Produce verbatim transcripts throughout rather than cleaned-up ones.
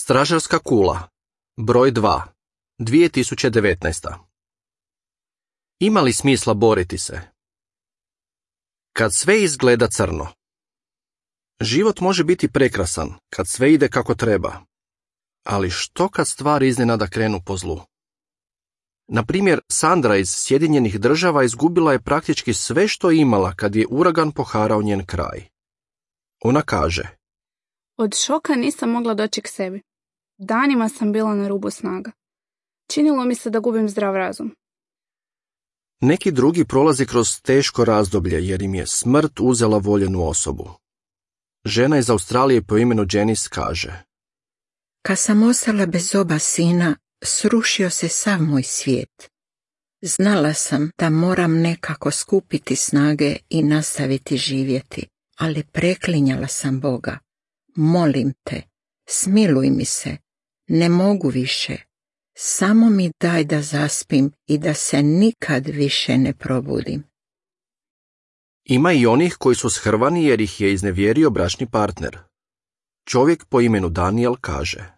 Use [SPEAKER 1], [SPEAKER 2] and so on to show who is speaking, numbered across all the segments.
[SPEAKER 1] Stražarska kula, broj dva, dvije tisuće devetnaesta. Ima li smisla boriti se? Kad sve izgleda crno. Život može biti prekrasan kad sve ide kako treba. Ali što kad stvari iznenada krenu po zlu? Na primjer, Sandra iz Sjedinjenih Država izgubila je praktički sve što je imala kad je uragan poharao njen kraj. Ona kaže:
[SPEAKER 2] Od šoka nisam mogla doći k sebi. Danima sam bila na rubu snaga. Činilo mi se da gubim zdrav razum.
[SPEAKER 1] Neki drugi prolazi kroz teško razdoblje jer im je smrt uzela voljenu osobu. Žena iz Australije po imenu Janice kaže:
[SPEAKER 3] Kad sam ostala bez oba sina, srušio se sav moj svijet. Znala sam da moram nekako skupiti snage i nastaviti živjeti, ali preklinjala sam Boga. Molim te, smiluj mi se, ne mogu više. Samo mi daj da zaspim i da se nikad više ne probudim.
[SPEAKER 1] Ima i onih koji su shrvani jer ih je iznevjerio bračni partner. Čovjek po imenu Daniel kaže: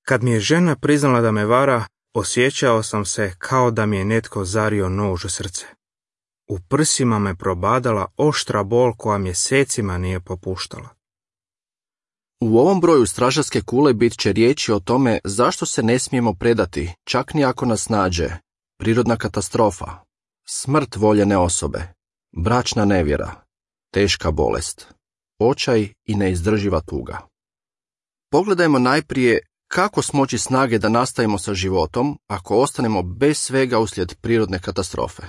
[SPEAKER 4] Kad mi je žena priznala da me vara, osjećao sam se kao da mi je netko zario nož u srce. U prsima me probadala oštra bol koja mjesecima nije popuštala.
[SPEAKER 1] U ovom broju stražarske kule bit će riječi o tome zašto se ne smijemo predati, čak ni ako nas nađe prirodna katastrofa, smrt voljene osobe, bračna nevjera, teška bolest, očaj i neizdrživa tuga. Pogledajmo najprije kako smoći snage da nastavimo sa životom ako ostanemo bez svega uslijed prirodne katastrofe.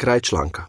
[SPEAKER 1] Kraj članka.